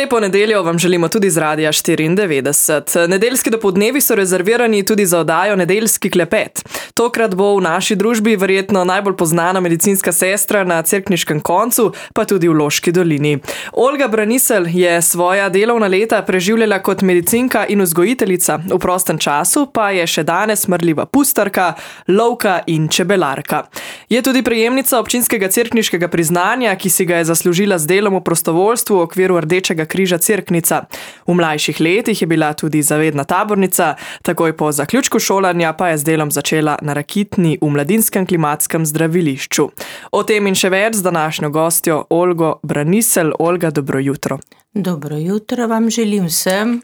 Lepo nedeljo vam želimo tudi z Radia 94. Nedeljski dopoldnevi so rezervirani tudi za oddajo Nedeljski klepet. Tokrat bo v naši družbi verjetno najbolj poznana medicinska sestra na Cerkniškem koncu, pa tudi v Loški dolini. Olga Braniselj je svoja delovna leta preživljala kot medicinka in vzgojiteljica, v prostem času pa je še danes marljiva pustarka, lovka in čebelarka. Je tudi prejemnica občinskega cerkniškega priznanja, ki si ga je zaslužila z delom v prostovoljstvu v okviru Rdečega križa Cerknica. V mlajših letih je bila tudi zavedna tabornica, takoj po zaključku šolanja pa je z delom začela na Rakitni v mladinskem klimatskem zdravilišču. O tem in še več z današnjo gostjo Olgo Braniselj. Olga, dobro jutro. Dobro jutro vam želim vsem.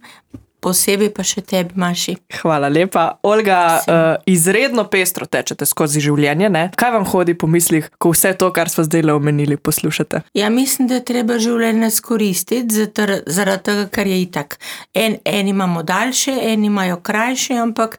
Posebej pa še tebi, Maši. Hvala lepa. Olga, izredno pestro tečete skozi življenje, ne? Kaj vam hodi po mislih, ko vse to, kar smo zdaj omenili, poslušate? Ja, mislim, da je treba življenje skoristiti, zaradi tega, ker je itak. Eni imamo daljše, eni imajo krajše, ampak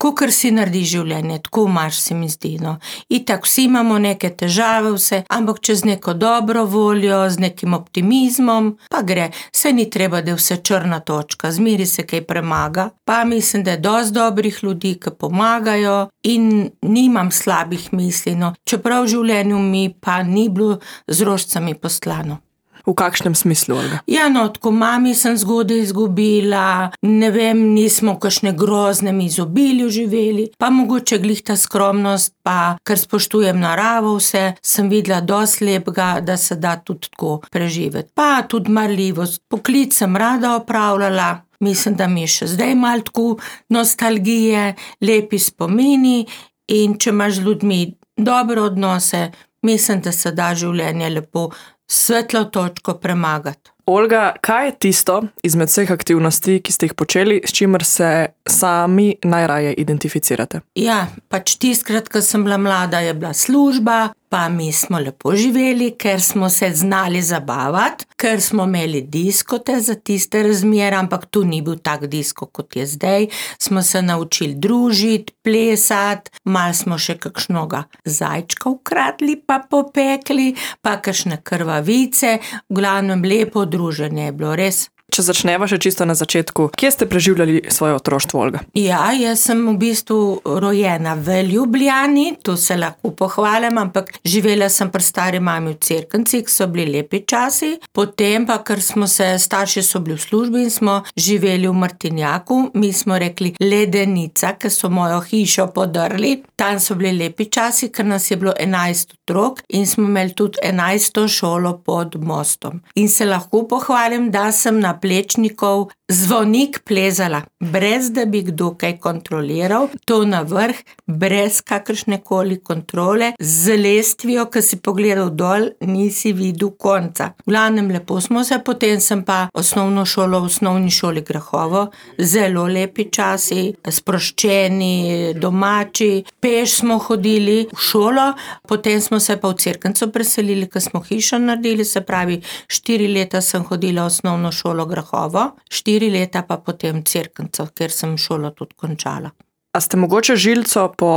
kakor si naredi življenje, tako imaš, se mi zdi, no. Itak vsi imamo neke težave, vse, ampak čez neko dobro voljo, z nekim optimizmom, pa gre. Se ni treba, da je vse črna točka, zmeri se kaj premaga. Pa mislim, da je dosti dobrih ljudi, ki pomagajo in nimam slabih misli, no. Čeprav v življenju mi pa ni bilo z rožcami poslano. V kakšnem smislu, Olga? Ja, no, tako mami sem zgodaj izgubila, ne vem, nismo v kakšne groznem izobilju živeli, pa mogoče glih ta skromnost, pa ker spoštujem naravo vse, sem videla dosti lepega, da se da tudi tako preživeti. Pa tudi marljivost, poklic sem rada opravljala, mislim, da mi je še zdaj malo tako nostalgije, lepi spomini in če imaš z ljudmi dobre odnose, mislim, da se da življenje lepo svetlo točko premagati. Olga, kaj je tisto izmed vseh aktivnosti, ki ste jih počeli, s čimer se sami najraje identificirate? Ja, pač tistkrat, ko sem bila mlada, je bila služba, pa mi smo lepo živeli, ker smo se znali zabavati, ker smo imeli diskote za tiste razmere, ampak tu ni bil tak disko, kot je zdaj. Smo se naučili družiti, plesati, malo smo še kakšnoga zajčka ukradli, pa popekli, pa kakšne krvavice, v glavnem lepo druženje je bilo, res. Če začneva še čisto na začetku, kje ste preživljali svoje otroštvo, Olga? Ja, jaz sem v bistvu rojena v Ljubljani, tu se lahko pohvalim, ampak živela sem pri stari mami v Cerknici, ki so bili lepi časi. Potem pa, ker smo se, starši so bili v službi in smo živeli v Martinjaku, mi smo rekli Ledenica, ker so mojo hišo podrli. Tam so bili lepi časi, ker nas je bilo 11 otrok in smo imeli tudi 11. šolo pod mostom. In se lahko pohvalim, da sem na Plečnikov zvonik plezala, brez da bi kdo kaj kontroliral, to na vrh, brez kakršnekoli kontrole, z lestvijo, ki si pogledal dol, nisi videl konca. V glavnem lepo smo se, potem sem pa osnovno šolo v osnovni šoli Grahovo, zelo lepi časi, sproščeni, domači, peš smo hodili v šolo, potem smo se pa v Cerknico preselili, ker smo hišo naredili, se pravi 4 leta sem hodila v osnovno šolo Grahovo, 4 leta pa potem Cerknico, ker sem šolo tudi končala. A ste mogoče žilco po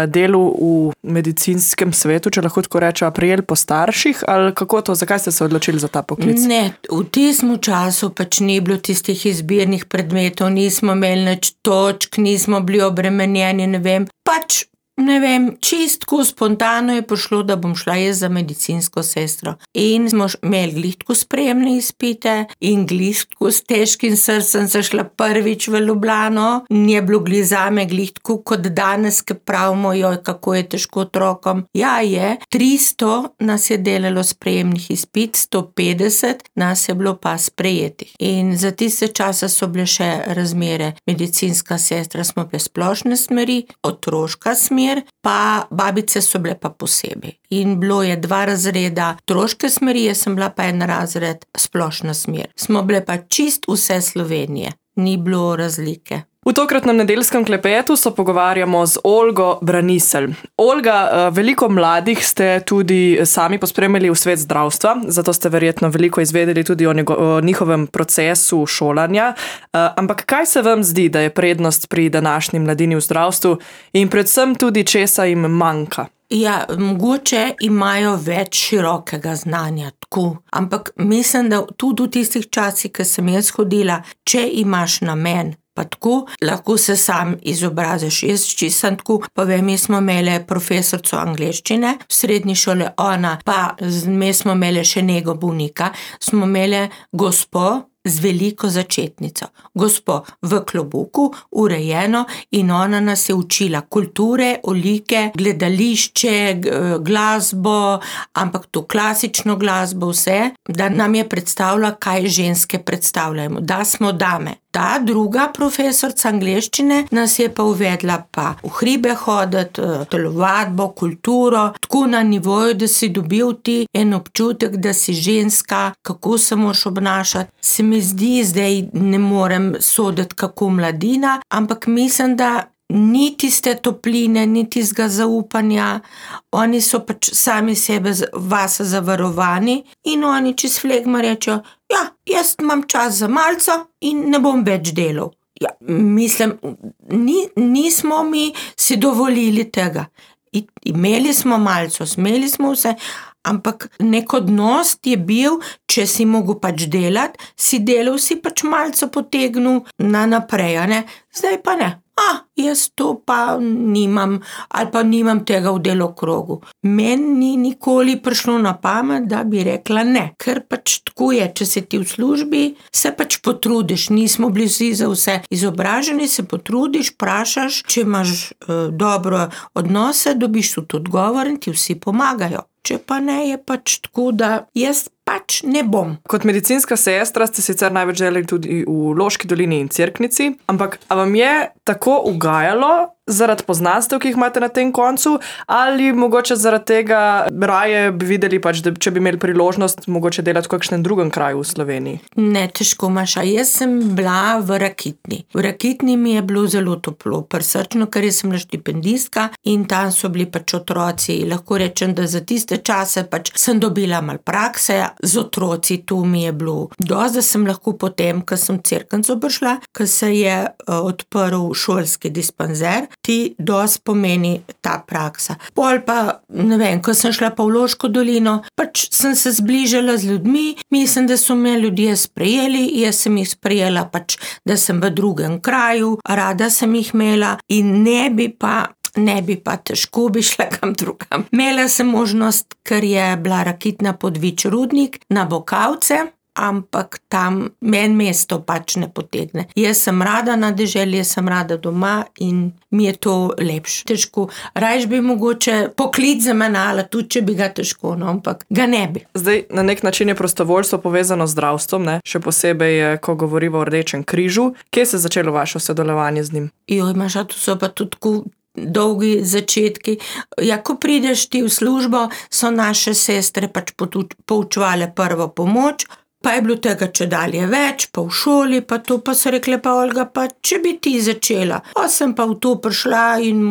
delu v medicinskem svetu, če lahko tako rečem, prijeli po starših, ali kako to, zakaj ste se odločili za ta poklic? Ne, v tistem času pač ni bilo tistih izbirnih predmetov, nismo imeli nič točk, nismo bili obremenjeni, ne vem, pač ne vem, čistko spontano je pošlo, da bom šla jaz za medicinsko sestro. In smo imeli glih tako sprejemne izpite in glih tako s težkim srcem se šla prvič v Ljubljano. Ni bilo glih zame glih tako kot danes, ki pravimo, joj, kako je težko otrokom. Ja, je, 300 nas je delalo sprejemnih izpit, 150 nas je bilo pa sprejetih. In za tiste čase so bile še razmere medicinska sestra, smo bile splošne smeri, otroška smer, pa babice so bile pa posebej. In bilo je 2 razreda otroške smeri, jaz sem bila pa 1 razred splošna smer. Smo bile pa čist vse Slovenije, ni bilo razlike. V tokratnem nedeljskem klepetu se pogovarjamo z Olgo Braniselj. Olga, veliko mladih ste tudi sami pospremili v svet zdravstva, zato ste verjetno veliko izvedeli tudi o njihovem procesu šolanja. Ampak kaj se vam zdi, da je prednost pri današnji mladini v zdravstvu in predvsem tudi česa jim manjka? Ja, mogoče imajo več širokega znanja, tako. Ampak mislim, da tudi v tistih časih, ko sem jaz hodila, če imaš namen, pa tako, lahko se sam izobraziš. Jaz čisto tako, pa vem, mi smo imeli profesorico angleščine v srednji šoli, ona, pa mi smo imeli še nego bolnika, smo imeli gospo z veliko začetnico. Gospo v klobuku, urejeno, in ona nas je učila kulture, olike, gledališče, glasbo, ampak to klasično glasbo, vse, da nam je predstavila, kaj ženske predstavljamo, da smo dame. Ta druga profesorica angleščine nas je pa uvedla pa v hribe hoditi, telovadbo, kulturo, tako na nivoju, da si dobil ti en občutek, da si ženska, kako se moraš obnašati. Se mi zdi, zdaj ne morem soditi kako mladina, ampak mislim, da ni tiste topline, ni tistega zaupanja, oni so pač sami sebe vase zavarovani in oni čez flegma rečejo, ja, jaz imam čas za malco in ne bom več delal. Ja, mislim, nismo mi si dovolili tega. Imeli smo malco, smeli smo vse, ampak nek odnos je bil, če si mogel pač delati, si delal, si pač malco potegnil na naprej, ne? Zdaj pa ne. Jaz to pa nimam, ali pa nimam tega v delokrogu. Meni ni nikoli prišlo na pamet, da bi rekla ne, ker pač tako je, če si ti v službi, se pač potrudiš, nismo bili vsi za vse izobraženi, se potrudiš, vprašaš, če imaš dobro odnose, dobiš tudi odgovor in ti vsi pomagajo. Če pa ne, je pač tako, da jaz pač ne bom. Kot medicinska sestra ste sicer največ delali tudi v Loški dolini in Cerknici, ampak a vam je tako ugajalo zaradi poznanstev, ki jih imate na tem koncu, ali mogoče zaradi tega raje bi videli pač, da če bi imeli priložnost mogoče delati v kakšnem drugem kraju v Sloveniji? Ne, težko, Maša. Jaz sem bila v Rakitni. V Rakitni mi je bilo zelo toplo, prisrčno, ker sem bila štipendistka in tam so bili pač otroci. Lahko rečem, da za tiste čase pač sem dobila malo prakse z otroci, tu mi je bilo dosti, da sem lahko potem, ko sem v Cerknico prišla, ko se je odprl šolski dispanzer, ti dosti pomeni ta praksa. Pol pa, ne vem, ko sem šla pa v Loško dolino, pač sem se zbližala z ljudmi, mislim, da so me ljudje sprejeli, jaz sem jih sprejela pač, da sem v drugem kraju, rada sem jih imela in ne bi pa težko bi šla kam drugam. Imela sem možnost, ker je bila Rakitna Podvič rudnik na Bokavce, ampak tam meni mesto pač ne potegne. Jaz sem rada na deželi, jaz sem rada doma in mi je to lepše. Težko. Rajš bi mogoče poklic zamenjala, tudi če bi ga težko, no, ampak ga ne bi. Zdaj, na nek način je prostovoljstvo povezano z zdravstvom, ne? Še posebej, ko govorimo o Rdečem križu. Kje se je začelo vaše sodelovanje z njim? Maša, to so pa tudi dolgi začetki. Ja, ko prideš ti v službo, so naše sestre pač poučevale prvo pomoč, pa je bilo tega čedalje več, pa v šoli, pa to, pa so rekle pa Olga, pa če bi ti začela. Sem pa v to prišla in,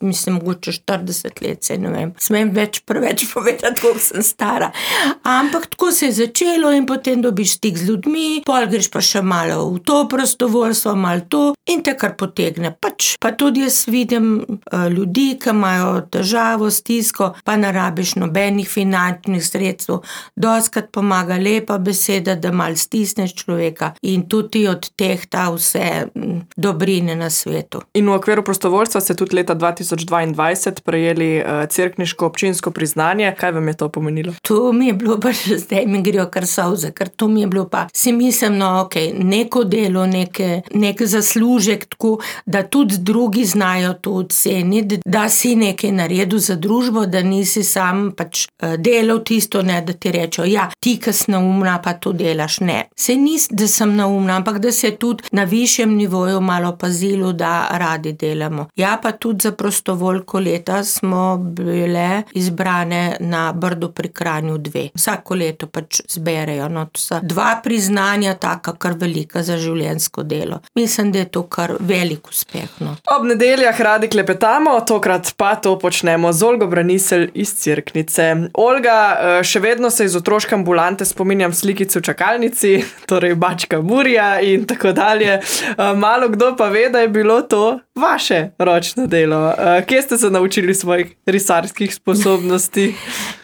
mislim, mogoče 40 let, se ne vem, smem preveč povedati, koliko sem stara. Ampak tako se je začelo in potem dobiš stik z ljudmi, pol greš pa še malo v to prostovoljstvo, malo to in te kar potegne. Pa tudi jaz vidim ljudi, ki imajo težavo, stisko, pa ne rabiš nobenih finančnih sredstev. Dostikrat pomaga lepa beseda, da malo stisneš človeka in tudi od teh ta vse dobrine na svetu. In v okviru prostovoljstva ste tudi leta 2022 prejeli cerkniško občinsko priznanje. Kaj vam je to pomenilo? To mi je bilo pa še zdaj, mi grejo kar solze, ker to mi je bilo pa, si mislim, neko delo, nek zaslužek, tako, da tudi drugi znajo to oceniti, da si nekaj naredil za družbo, da nisi sam pač delal tisto, ne, da ti rečejo, ja, ti, ki si neumna, pa to delaš, ne. Saj ni, da sem neumna, ampak da se tudi na višjem nivoju malo pazilo, da radi delamo. Ja, pa tudi za prostovoljko leta smo bile izbrane na Brdu pri Kranju 2. Vsako leto pač zberejo, no, to so 2 priznanja, taka kar velika za življenjsko delo. Mislim, da je to kar velik uspeh, no. Ob nedeljah radi klepetamo, tokrat pa to počnemo z Olgo Braniselj iz Cerknice. Olga, še vedno se iz otroške ambulante spominjam slikice v čakalnici, torej bačka Burja in tako dalje. Malo kdo pa ve, da je bilo to vaše ročno delo. Kje ste se naučili svojih risarskih sposobnosti?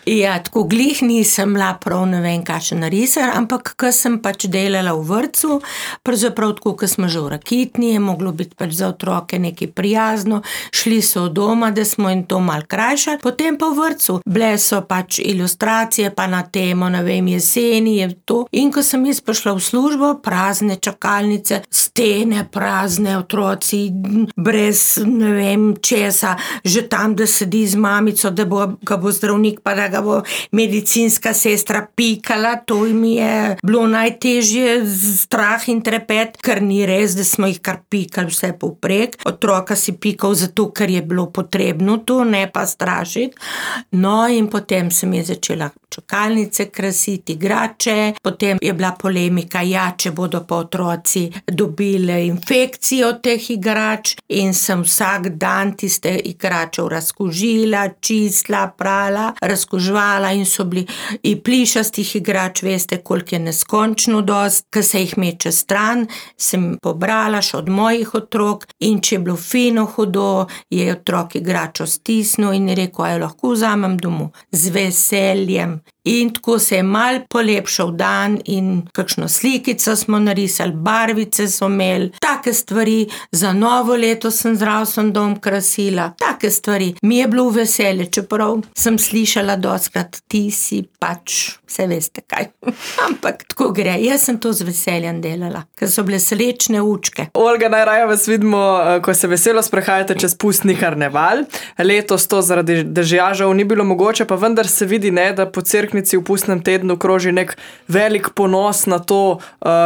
Ja, tako glih nisem bila prav ne vem kakšen risar, ampak ko sem pač delala v vrtcu, pravzaprav tako, ko smo že v Rakitni, je moglo biti pač za otroke nekaj prijazno, šli so od doma, da smo jim to malo krajšali, potem pa v vrtcu. Bile so pač ilustracije, pa na temo, ne vem, jeseni je to. In ko sem jaz prišla v službo, prazne čakalnice, stene prazne, otroci brez ne vem česa, že tam, da sedi z mamico, da ga bo zdravnik, pa da ga bo medicinska sestra pikala, to mi je bilo najtežje, strah in trepet, ker ni res, da smo jih kar pikali vse povprek. Otroka si pikal zato, ker je bilo potrebno to, ne pa strašiti. No, in potem sem je začela čakalnice krasiti, igrače, potem je bila polemika, ja, če bodo pa otroci dobili infekcijo od teh igrač, in sem vsak dan tiste igračev razkužila, čistila, prala, razkužvala, in so bili i plišastih igrač, veste, koliko je neskončno dost, ko se jih meče stran, sem pobrala še od mojih otrok, in če je bilo fino hudo, je otrok igračo stisnil in je rekel, a jo lahko vzamem domov. Z veseljem. In tako se je mal polepšal dan in kakšno slikico smo narisali, barvice so imeli, take stvari, za novo leto sem zdravstveni dom krasila, take stvari. Mi je bilo veselje, čeprav sem slišala dostikrat, ti si pač, vse veste kaj. Ampak tako gre, jaz sem to z veseljem delala, ker so bile srečne učke. Olga, najraje vas vidimo, ko se veselo sprehajate čez pustni karneval. Letos to zaradi dežja žal ni bilo mogoče, pa vendar se vidi, ne, da po Cerknici v pustnem tednu kroži nek velik ponos na to,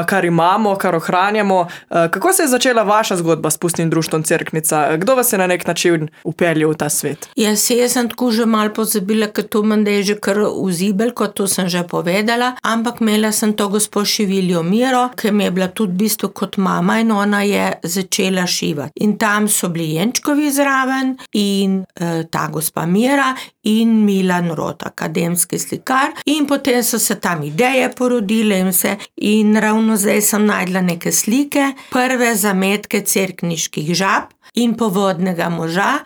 kar imamo, kar ohranjamo. Kako se je začela vaša zgodba s pustnim društvom Cerknica? Kdo vas je na nek način upeljal v ta svet? Jaz sem tako že malo pozabila, ker to menda je že kar vzibel, kot to sem že povedala, ampak imela sem to gospo Šiviljo Miro, ki mi je bila tudi v bistvu kot mama, in ona je začela šivati. In tam so bili Jenčkovi zraven in ta gospa Mira in Milan Rot, akademski slikar, in potem so se tam ideje porodile in vse, in ravno zdaj sem najdla neke slike, prve zametke cerkniških žab in povodnega moža,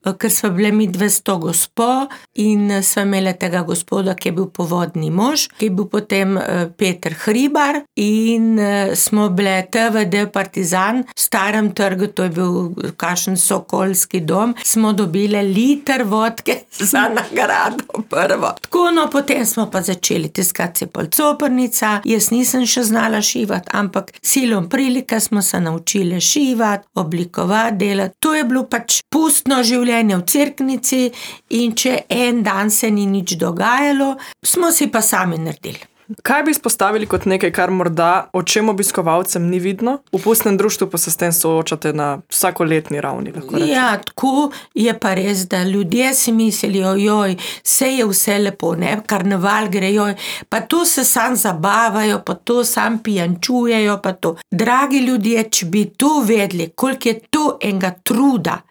ker sva bile mi 200 gospo in sva imela tega gospoda, ki je bil povodni mož, ki je bil potem Peter Hribar, in smo bile TVD Partizan v Starem trgu, to je bil kakšen sokolski dom, smo dobile liter vodke za nagrado prvo. Tako, no, potem smo pa začeli tiskati Coprnica, jaz nisem še znala šivati, ampak silom prilike smo se naučile šivati, oblikovati, delati. To je bilo pač pustno življenje v Cerknici, in če en dan se ni nič dogajalo, smo si pa sami naredili. Kaj bi izpostavili kot nekaj, kar morda očem obiskovalcem ni vidno? V pustnem društvu pa se s tem soočate na vsakoletni ravni, lahko rečem. Ja, tako je pa res, da ljudje si mislijo, joj, vse je vse lepo, ne, karneval gre, joj, pa to se sam zabavajo, pa to sam pijančujejo, pa to. Dragi ljudje, če bi to vedeli, koliko je to enega truda,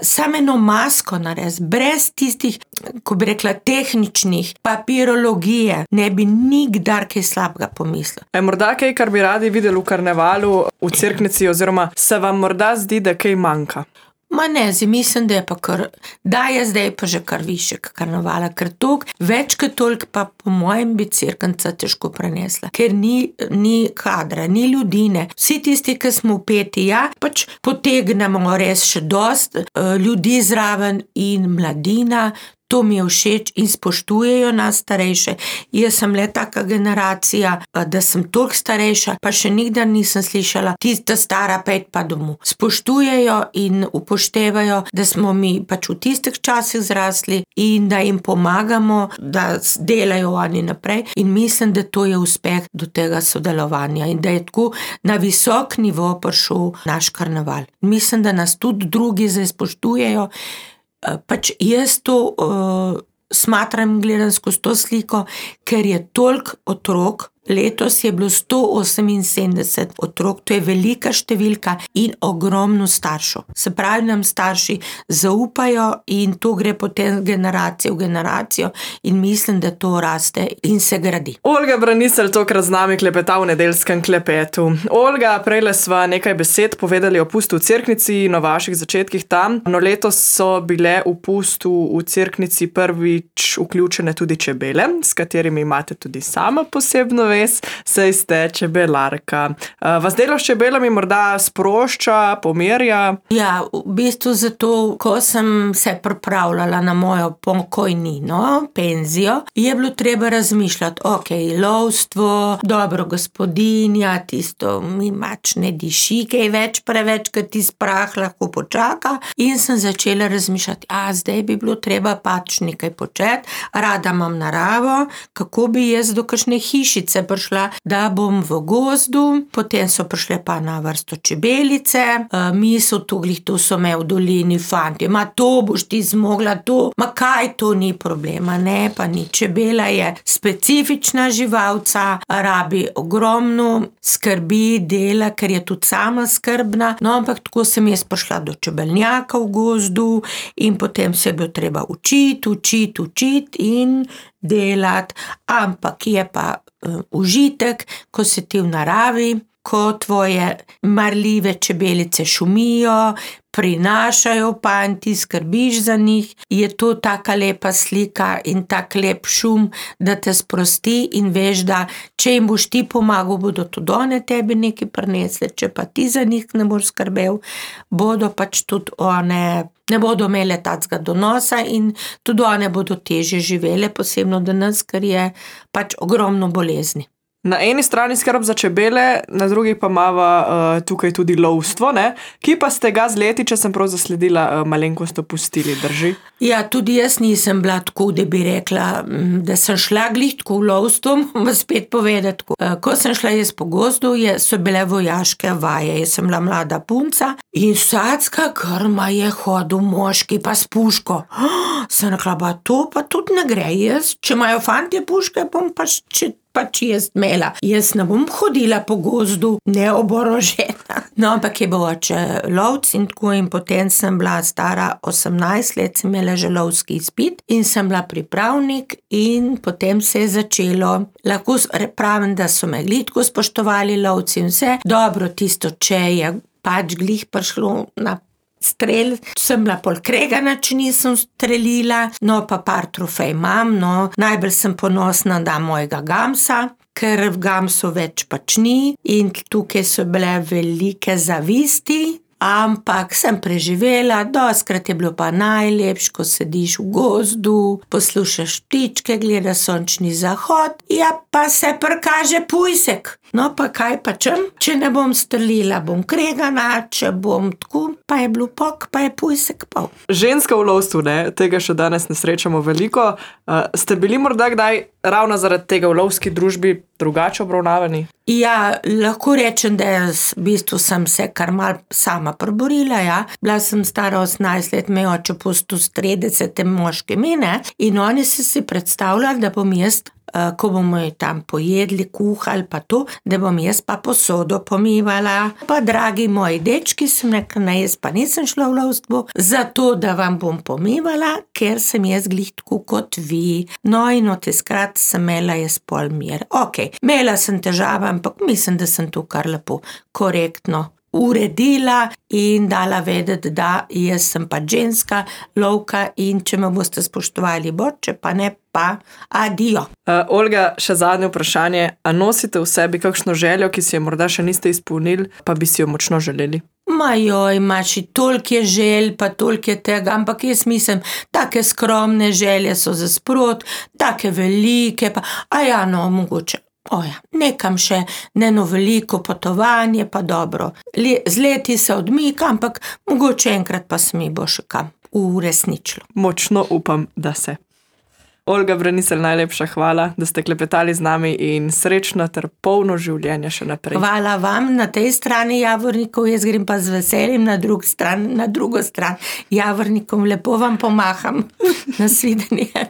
samo eno masko narediti, brez tistih, ko bi rekla, tehničnih, papirologije, ne bi nikdar kaj slabega pomislil. Je morda kaj, kar bi radi videli v karnevalu v Cerknici, oziroma se vam morda zdi, da kaj manjka? Ma ne, mislim, da je pa kar, da je zdaj pa že kar višek karnevala, ker toliko, več kot toliko pa po mojem bi Cerknica težko prenesla, ker ni kadra, ni ljudi, ne. Vsi tisti, ki smo vpeti, ja, pač potegnemo res še dost ljudi zraven in mladina, To mi je všeč in spoštujejo nas starejše. Jaz sem le taka generacija, da sem toliko starejša, pa še nikdar nisem slišala, tista stara, pejt pa domov. Spoštujejo in upoštevajo, da smo mi pač v tistih časih zrasli in da jim pomagamo, da delajo oni naprej. In mislim, da to je uspeh do tega sodelovanja in da je tako na visok nivo prišel naš karneval. Mislim, da nas tudi drugi zdaj spoštujejo. Pač jaz to smatram in gledam skozi to sliko, ker je toliko otrok. Letos je bilo 178 otrok, to je velika številka in ogromno staršev. Se pravi, nam starši zaupajo in to gre potem generacijo v generacijo in mislim, da to raste in se gradi. Olga Braniselj tokrat z nami klepeta v nedeljskem klepetu. Olga, prejle sva nekaj besed povedali o pustu v Cerknici in o vaših začetkih tam. No, letos so bile v pustu v Cerknici prvič vključene tudi čebele, s katerimi imate tudi sama posebno saj ste čebelarka. Vas delo s čebelami morda sprošča, pomerja? Ja, v bistvu zato, ko sem se pripravljala na mojo pokojnino, penzijo, je bilo treba razmišljati, lovstvo, dobro gospodinja, tisto mi mač ne diši, kaj več preveč, ker ti sprah lahko počaka. In sem začela razmišljati, zdaj bi bilo treba pač nekaj početi, rada imam naravo, kako bi jaz do kakšne hišice prišla, da bom v gozdu, potem so prišle pa na vrsto čebelice, misel to so me v dolini fanti, to boš ti zmogla to, kaj to ni problema, ne, pa ni. Čebela je specifična živalca, rabi ogromno skrbi, dela, ker je tudi sama skrbna, no, ampak tako sem jaz prišla do čebelnjaka v gozdu in potem se je bilo treba učiti in delati, ampak je pa užitek, ko si ti v naravi, ko tvoje marljive čebelice šumijo, prinašajo panti, skrbiš za njih, je to taka lepa slika in tak lep šum, da te sprosti in veš, da če jim boš ti pomagal, bodo tudi one tebi nekaj prinesle, če pa ti za njih ne boš skrbel, bodo pač tudi one ne bodo imele takega donosa in tudi one bodo težje živele, posebno danes, ker je pač ogromno bolezni. Na eni strani skrb za čebele, na drugi pa imava tukaj tudi lovstvo, ne? Ki pa ste ga z leti, če sem prav zasledila, malenkost opustili, drži? Ja, tudi jaz nisem bila tako, da bi rekla, da sem šla glih tako v lovstvo, spet povedati. Ko sem šla jaz po gozdu, so bile vojaške vaje, jaz sem bila mlada punca in vsacka krma je hodil moški pa s puško. Sem rekla, to pa tudi ne gre, jaz, če imajo fantje puške, bom pač jaz imela. Jaz ne bom hodila po gozdu neoborožena. No, ampak je bil oče lovc in tako in potem sem bila stara 18 let, sem imela že lovski izpit in sem bila pripravnik in potem se je začelo. Lahko pravim, da so me glitko spoštovali lovci in vse. Dobro, tisto, če je pač glih prišlo na strel, sem bila pol kregana, če nisem strelila, no pa par trofej imam, no, najbolj sem ponosna na mojega gamsa, ker v gamsu več pač ni in tukaj so bile velike zavisti, ampak sem preživela, dostikrat je bilo pa najlepše, ko sediš v gozdu, poslušaš ptičke, gledaš sončni zahod, ja pa se prikaže pujsek. No pa kaj pa čem? Če ne bom strelila, bom kregana, če bom tako, pa je bil pok, pa je pujsek pol. Ženska v lovstvu, ne, tega še danes ne srečamo veliko. Ste bili morda kdaj ravno zaradi tega v lovski družbi drugače obravnavani? Ja, lahko rečem, da v bistvu sem se kar mal sama preborila, ja. Bila sem stara 18 let, me oče pustil s 30 moškimi, ne, in oni so si predstavljali, da bom jaz, ko bomo tam pojedli, kuhali pa to, da bom jaz pa posodo pomivala. Pa dragi moji dečki, sem rekla, ne, jaz pa nisem šla v lovstvo, zato da vam bom pomivala, ker sem jaz glih tako kot vi. No in od teskrat sem imela jaz pol mir. Imela sem težave, ampak mislim, da sem to kar lepo, korektno uredila in dala vedeti, da jaz sem pa ženska lovka in če me boste spoštovali, bo, če pa ne, pa adijo. Olga, še zadnje vprašanje. A nosite v sebi kakšno željo, ki si jo morda še niste izpolnili, pa bi si jo močno želeli? Imaš toliko je želj, pa toliko je tega, ampak jaz mislim, take skromne želje so za sprot, take velike, pa, mogoče. Nekam še, eno veliko potovanje, pa dobro. Z leti se odmika, ampak mogoče enkrat pa se mi bo še kam uresničilo. Močno upam, da se. Olga Braniselj, najlepša hvala, da ste klepetali z nami in srečno ter polno življenje še naprej. Hvala vam na tej strani Javornikov, jaz grem pa z veseljem na drugo stran Javornikom. Lepo vam pomaham. Nasvidenje.